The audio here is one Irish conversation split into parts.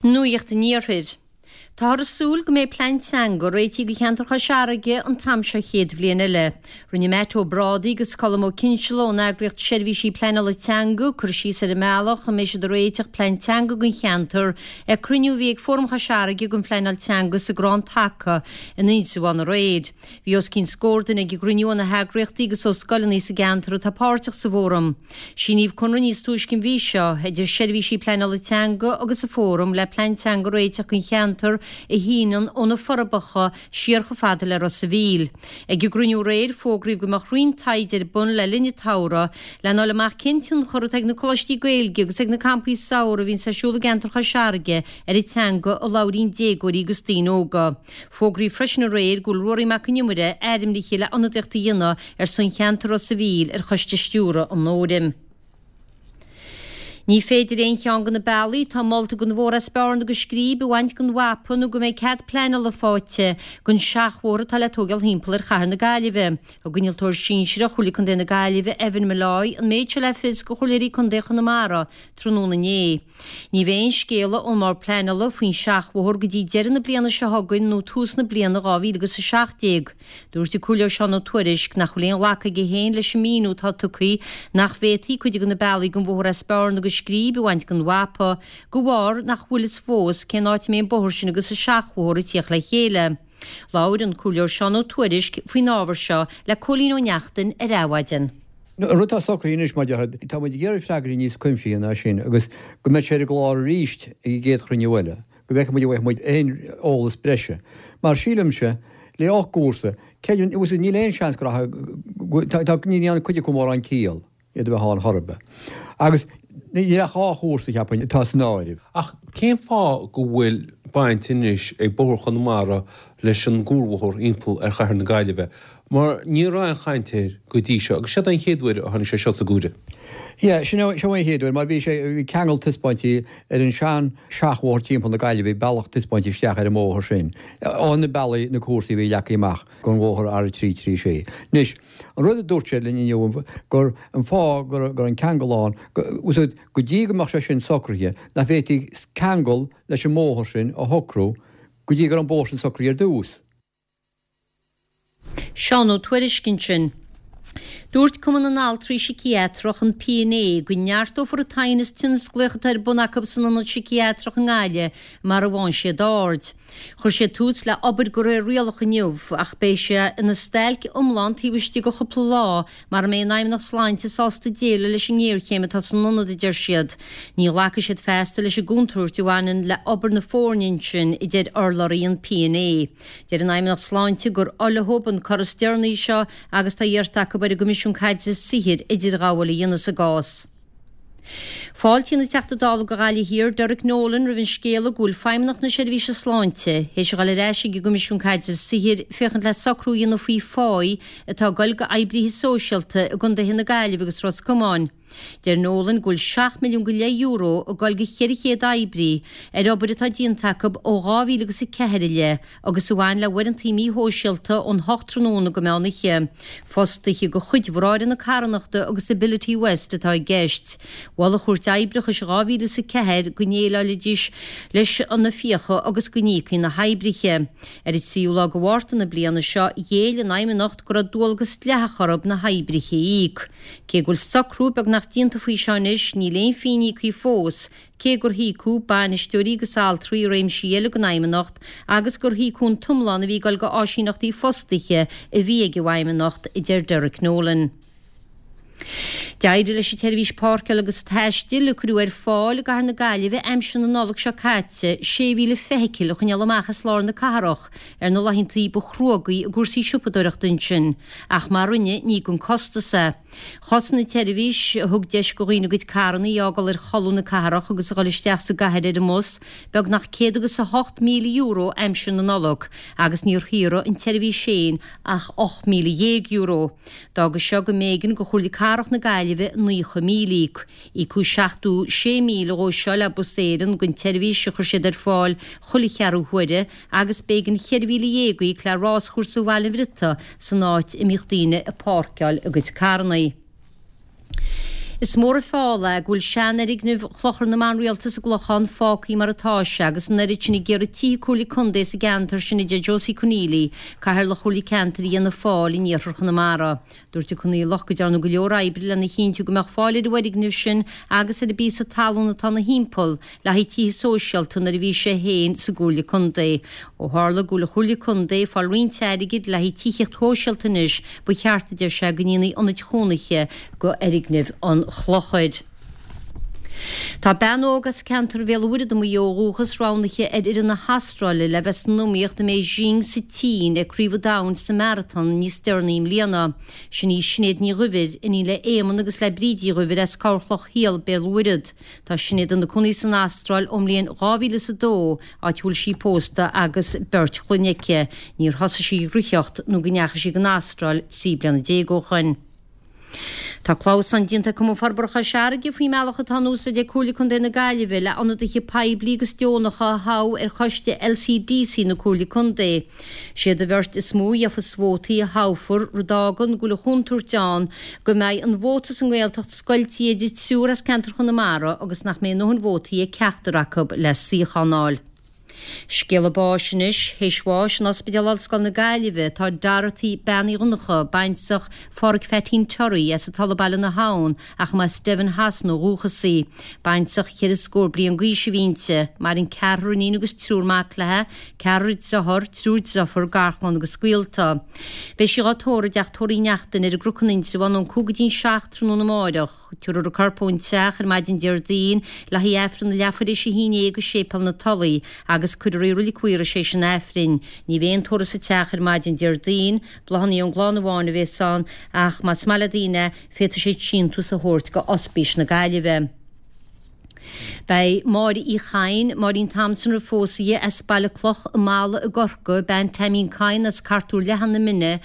Nuacht an Iarthair. Táthar ag súil go mbeidh plean teanga réitithe do cheantar Chois Fharraige an t-am seo chéad bhliain eile. Rinne Matt Ó Brádaigh agus Colm Ó Cinnseala ón eagraíocht Seirbhísí Pleanála Teanga cur síos ar an mbealach a mbeidh siad ag réiteach plean teanga don cheantar ag cruinniú a bhí ag Fóram Chois Fharraige don Phleanáil Teanga sa gCrann Taca in Inse Bhán aréir. Bhí os cionn scór duine ag an gcruinniú ó na heagraíochtaí agus ó scoileanna sa gceantar atá páirteach sa bhfóram. Síníodh conradh níos túisce an mhí seo idir Seirbhísí Pleanála Teanga agus an Fóram le plean teanga a réiteach don cheantar a shíneann ó na Forbacha siar chomh fada le Ros a' Mhíl. Ag an gcruinniú aréir, fógraíodh go mbeadh roinnt taighde ar bun le linn an tsamhraidh lena fháil amach cén tionchar atá ag na coláistí Gaeilge agus ag na campaí samhraidh a bhíonns ar siúl i gceantar Chois Fharraige ar an teanga a labhraíonn déagóirí agus daoine óga. Fógraíodh freisin aréir go bhfuil Ruairí Mac Con Iomaire ainmnithe le ionadaíocht a dhéanamh ar son cheantar Ros a' Mhíl ar choiste stiúrtha an Fhóraim. Ní féidir aon cheann de na bealaí atá molta don bhóthar as Bearna go Scríb a bhaint den mhapa nó go mbeidh cead pleanála faighte don seachbhóthar atá le tógáil thimpeall ar chathair na Gaillimhe. Thug Innealtóir Sinsearach Chomhairle Contae na Gaillimhe, Evan Molloy, an méid seo le fios do chomhairleoirí contae Chonamara tráthnóna inné. Ní bheidh aon scéala ón mBord Pleanála faoin seachbhóthar go dtí deireadh na bliana seo chugainn nó tús na bliana 2017. Dúirt an Comhairleoir Seán Ó Tuairisg nach bhfuil aon ghlacadh aige féin leis an míniú atá tugtha nach bhféadfaí cuid de na bealaí den bhóthar as Bearna go Scríb a bhaint den mhapa de bharr nach bhfuil fhios fós cén áit a mbeidh an bóthar sin agus an seachbhóthar ag tíocht le chéile. Labhair an Comhairleoir Seán Ó Tuairisg faoin ábhar seo le Cóilín Ó Neachtain ar Adhmhaidin. An rud atá socraithe anois, mar a déarfá, tá muid ag iarraidh freagraí níos cuimsithí ná sin agus go mbeidh sé ar an gclár arís ag an gcéad chruinniú eile, go bhfeicfidh muid an bhfaighidh muid aon eolas breise. Mar sílimse, le 8 gcúrsa, creidim, níl aon seans go rachaidh, tá, ní dhéanann cuid acu mórán ciall. iad a bheith ann chor ar bith. Agus níl ach 2 chúrsa, cheapfainn, atá san áireamh. Ach cén fáth go bhfuil baint anois ag Bóthar Chonamara leis an gcuarbhóthar thimpeall ar chathair na Gaillimhe? Mar ní raibh aon chaint air go dtí seo, agus seod é an chéad uair a tháinig sé seo sa gcomhaireamh. Yeah, sin é, seo é an chéad uair, mar bhí sé, bhí ceangal taispeáintí ar an sean seachbhóthar timpeall na Gaillimhe, bealach taispeáintí isteach ar an mbóthar sin, ó na bealaí, na cúrsaí a bhí leagtha amach don bhóthar R336. Anois, An rud a dúirt siad linn inniu gur an fáth go raibh an ceangal ann, go dtí go mbeadh sé sin socraithe, nach bhféadfaí ceangal leis an mbóthar sin a shocrú go dtí go raibh an bóthar sin socraithe ar dtús. Seán Ó Tuairisg ansin. Dúirt Cumann na nAltraí Síciatrach, an PNA, go neartófar an t-aighneas tionsclaíoch atá ar bun acu san Ionad Síciatrach i nGaillimh mara bhfaigheann siad aird. Chuir siad tús le obair de réir rialach inniu ach beidh sé ina stailc iomlán taobh istigh de chúpla lá mara mbeidh an Fheidhmeannacht Sláinte sásta déileáil leis an ngéarchéim atá san ionad, a deir siad. Ní ghlacfaidh siad feasta leis an gcontúirt a bhaineann le obair na foirne ansin, a deir urlabhraí an PNA. Deir an Fheidhmeannacht Sláinte gur olagón an cor is deireanaí seo agus tá iarrta acu ar an gCoimisiún Caidrimh Saothair idirghabháil a dhéanamh sa gcás. Fáiltíonn an Teachta Dála do Ghaillimh Thiar, Derek Nolan, roimh an scéala go bhfuil Feidhmeannacht na Seirbhíse Sláinte théis a dhul ar ais ag an gCoimisiún Caidrimh Saothair féachaint le socrú a dhéanamh faoi pháí atá ag dul go oibríthe sóisialta i gcontaetha na Gaillimhe agus Ros Comáin. Deir Nolan go bhfuil €7 milliún go leith ag dul go 400 oibrí ar obair atá déanta acu ó 2000 agus 4 i leith agus a bhain le huaireantaí míshóisialta ón hocht tráthnóna go meán oíche. Fostaithe de chuid Bhráithre na Carthanachta agus Ability West atá i gceist. Mhol an Chúirt Oibreachais i 2004 go ndéileáilfidís leis na fiacha agus go n-íocfaí na hoibrithe. Ar an tríú lá de Mhárta na bliana seo, ghéill an Fheidhmeannacht go raibh dualgas dleathach orthu na hoibrithe a íoc. Cé go bhfuil socrú beagnach déanta faoi seo anois, níl aon phingin íoctha fós, cé gur híocadh bainisteoirí agus altraí i réimsí eile den Fheidhmeannacht agus gur híocadh an t-iomlán a bhí ag dul go áisíneachtaí fostaithe a bhí ag an bhFeidhmeannacht, a deir Derek Nolan. D'éirigh leis an tseirbhís páirceála agus taistil a cuireadh ar fáil i gcathair na Gaillimhe aimsir na Nollag seo caite 6,000 feithicil a choinneáil amach as lár na cathrach ar na laethanta ba chruógaí i gcúrsaí siopadóireachta ansin, ach mar a rinneadh ní gan costas é. Chosain an tseirbhís, a thug deis do dhaoine a gcuid carranna a fhágáil ar cholúin na cathrach agus a dhul isteach sa gcathair ar an mbus, beagnach €108,000 aimsir na Nollag agus níor shaothraigh an tseirbhís féin ach €18,000. D'fhága seo go mb'éigean do Chomhairle Cathrach na Gaillimhe €90,000 a íoc. Íocadh €76,000 dhó seo le Bus Éireann don tseirbhís a chuir siad ar fáil chuile cheathrú huaire agus b'éigean 14,000 a íoc le Ráschúrsa Bhaile an Bhriotaigh san áit a mbíodh daoine ag páirceáil a gcuid carranna. Is mór an feall é go bhfuil seanfhoirgneamh Chlochar na mBan Rialta sa gClochán fágtha mar atá sé agus an oiread sin ag iarraidh tithe Comhairle Contae sa gceantar sin a deir Josie Conneely, Cathaoirleach Chomhairle Ceantair Fhianna Fáil in iarthar Chonamara. Dúirt an Conghaileach go dtearnadh go leor oibre lena chinntiú go mbeadh fáil ar an bhfoirgneamh sin agus ar an bpíosa talún atá ina thimpeall le haghaidh tithe sóisialta nuair a bhí sé féin sa gComhairle Contae. Ó tharla go bhfuil an Chomhairle Contae ag fáil roinnt airgid le haghaidh tithíocht shóisialta anois, ba cheart, a deir sé, go ndéanfaí ionaid chónaithe de fhoirgnimh an Chlochair. Tá bean óg as ceantar Bhéal an Mhuirthead i Maigh Eo ó dhúchas roghnaithe ar fhoireann na hAstráile le bheith san iomaíocht i mBeijing sa tSín ag Craobh an Domhain sa Maratón níos deireanaí i mbliana. Sin í Sinéad Ní Dhuibhir, iníon le Éamonn agus le Bríd Uí Dhuibhir as Corrchloch Shiel, Béal an Mhuirthead. Tá Sinéad ina cónaí san Astráil ón mbliain 2002, áit a bhfuil sí pósta agus beirt chlainne aici. Níor thosaigh sí ag reathaíocht nó go ndeachaigh sí don Astráil 13 bliana ó shoin. Tá clamhsán déanta ag Cumann Forbartha Chois Fharraige faoin mbealach atá in úsáid ag Comhairle Contae na Gaillimhe le ionadaithe poiblí agus deonacha a thoghadh ar choiste LCDC na Comhairle Contae. Siad an bheirt is mó a gheofas vótaí a thoghfar, rud a fhágann go bhfuil an chontúirt ann go mbeidh an vóta sa nGaeltacht scoiltí idir triúr as ceantar Chonamara agus nach mbeidh a ndóthain vótaí ag ceachtar acu le suíochán a fháil. Scéala báis anois, théis bháis in Ospidéal Ollscoile na Gaillimhe tá Dorothy Bean Uí Dhonncha, baintreach Pháraic Pheaitín Torry as an Tulaigh Baile na hAbhann ach mba as Devon Shasana ó dhúchas í. Baintreach cheithre scór bliain d'aois a bhí inti. Maireann ceathrar iníon agus triúr mac léi, ceathrar dearthár, triúr deirfiúr, garchlann agus gaolta. Beidh sí dhá tórramh i dteach tórraimh Uí Neachtain ar an gCnoc in Indreabhán ón 5 go dtí'n 7 tráthnóna amáireach. Tabharfar a corp ón teach ar maidin Déardaoin le haghaidh Aifreann a leathuair théis a haon déag i Séipéal na Tulaí agus cuirfear í i Roilig Mhaorais théis an Aifrinn. Ní bheidh aon tórramh sa teach ar maidin Déardaoin, bláthanna ón gclann amháin a bhéas ann ach más maith le daoine é, féadfaidh siad síntiús a thabhairt go Ospís na Gaillimhe. Beidh Máire Uí Chadhain, Máirín Thompson roimh phósadh di, as Baile Cloch i Mala i gCorcaigh, bean Teaimín Cadhain as Cartúr Leathan na Mine,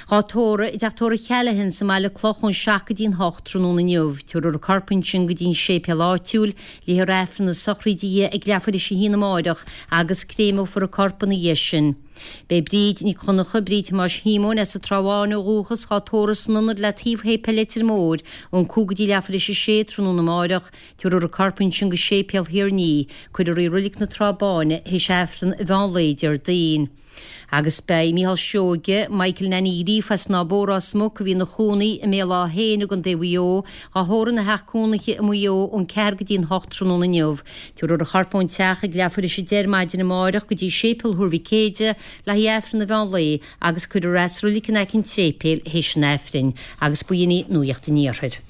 dhá tórramh i dteach tórraimh Chalaghan sa mBaile Cloch ón 7 go dtí'n 8 tráthnóna inniu. Tabharfar a corp ansin go dtí'n séipéal áitiúil, léifear Aifreann na sochraide di ag leathuair théis a haon amáireach agus créimeofar a corp ina dhiaidh sin. Beidh Bríd Nic Dhonncha, Bríd Thomáis Shíomóin as an Trá Bháin ó dhúchas, dhá tórramh san ionad le taobh Shéipéal Leitir Móir ón 5 go dtí leathuair théis a sé tráthnóna amáireach. Tabharfar a corp ansin go Séipéal Thír an Fhia. Cuirfear í i Roilig na Trá Báine théis Aifreann an mheán lae Déardaoin. Agus beidh Mícheál Seoige, Michael Nanny Ghríofa as an Áth Bó Ros Muc a bhí ina chónaí i mBéal Átha hÉin i gContae Mhaigh Eo, dhá thórramh ina theach cónaithe i Maigh Eo ón 4 go dtí an 8 tráthnóna inniu. Tabharfar a chorp ón teach ag leathuair théis 10 ar maidin amáireach go dtí Séipéal Thuar Mhic Éide le haghaidh Aifreann an mheán lae agus cuirfear é sa roilig in aice an tséipéil théis an Aifrinn. Agus b'in í Nuacht an Iarthair.